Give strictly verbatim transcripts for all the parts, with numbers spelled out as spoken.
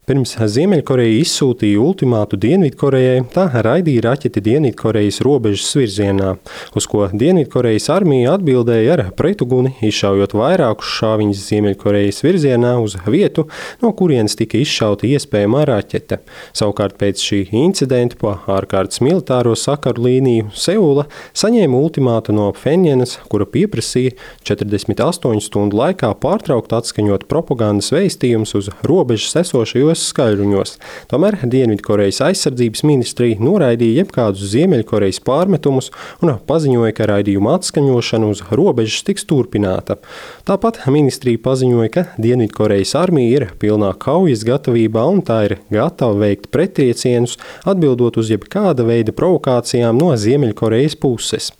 Pirms Ziemeļkoreja izsūtīja ultimātu Dienvidkorejai, tā raidīja raķeti Dienvidkorejas robežas virzienā, uz ko Dienvidkorejas armija atbildēja ar pretuguni, izšaujot vairākus šāviņus Ziemeļkorejas virzienā uz vietu, no kurienes tika izšauta iespējamā raķete. Savukārt pēc šī incidenta pa ārkārtas militāro sakaru līniju Seula saņēma ultimātu no Phenjanas, kura pieprasīja četrdesmit astoņu stundu laikā pārtraukt atskaņot propagandas vēstījumus uz robežas esošajos skaļruņos. Tomēr Dienvidkorejas aizsardzības ministrija noraidīja jebkādus Ziemeļkorejas pārmetumus un paziņoja, ka raidījuma atskaņošana uz robežas tiks turpināta. Tāpat ministrija paziņoja, ka Dienvidkorejas armija ir pilnā kaujas gatavībā un tā ir gatava veikt prettriecienus, atbildot uz jebkāda veida provokācijām no Ziemeļkorejas puses.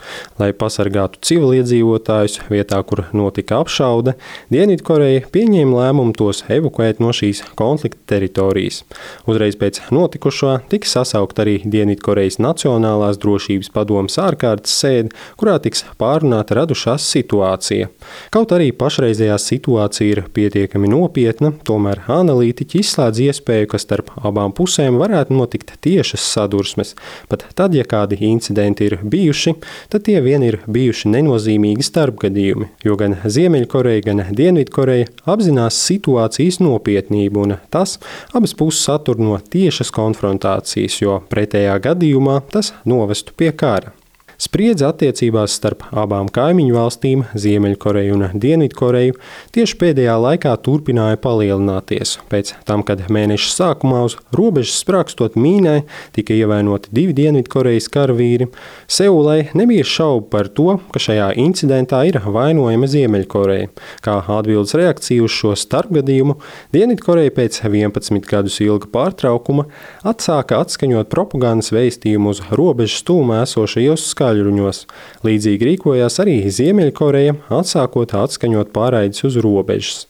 Lai pasargātu civiliedzīvotājus vietā, kur notika apšaude, Dienvidkoreja pieņēma lēmumu tos evakuēt no šīs konflikta teritorijas. teritorijas. Uzreiz pēc notikušā tika sasaukt arī Dienvidkorejas Nacionālās drošības padomes ārkārtas sēde, kurā tiks pārunāta radušās situācija. Kaut arī pašreizējā situācija ir pietiekami nopietna, tomēr analītiķi izslēdz iespēju, ka starp abām pusēm varētu notikt tiešas sadursmes. Pat tad, ja kādi incidenti ir bijuši, tad tie vien ir bijuši nenozīmīgi starpgadījumi, jo gan Ziemeļkoreja, gan Dienvidkoreja apzinās situācijas nopietnību un tas abas puses attur no tiešas konfrontācijas, jo pretējā gadījumā tas novestu pie kara. Spriedze attiecībās starp abām kaimiņu valstīm, Ziemeļkoreju un Dienvidkoreju, tieši pēdējā laikā turpināja palielināties. Pēc tam, kad mēneša sākumā uz robežas sprakstot mīnai tika ievainoti divi Dienvidkorejas karavīri, Seulai nebija šaubu par to, ka šajā incidentā ir vainojama Ziemeļkoreja. Kā atbildes reakcija uz šo starpgadījumu, Dienvidkoreja pēc vienpadsmit gadus ilga pārtraukuma atsāka atskaņot propagandas vēstījumu uz robežas tūmā esošajos skaļruņos. Līdzīgi rīkojās arī Ziemeļkoreja, atsākot atskaņot pārraides uz robežas.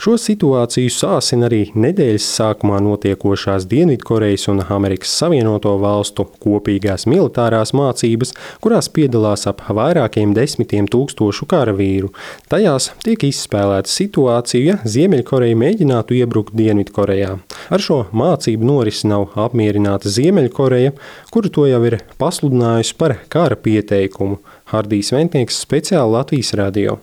Šo situāciju sāsina arī nedēļas sākumā notiekošās Dienvidkorejas un Amerikas Savienoto Valstu kopīgās militārās mācības, kurās piedalās ap vairākiem desmitiem tūkstošu karavīru. Tajās tiek izspēlēta situācija, ja Ziemeļkoreja mēģinātu iebrukt Dienvidkorejā. Ar šo mācību norisi nav apmierināta Ziemeļkoreja, kuru to jau ir pasludinājusi par kara pieteikumu. Hardijs Ventnieks, speciāli Latvijas radio.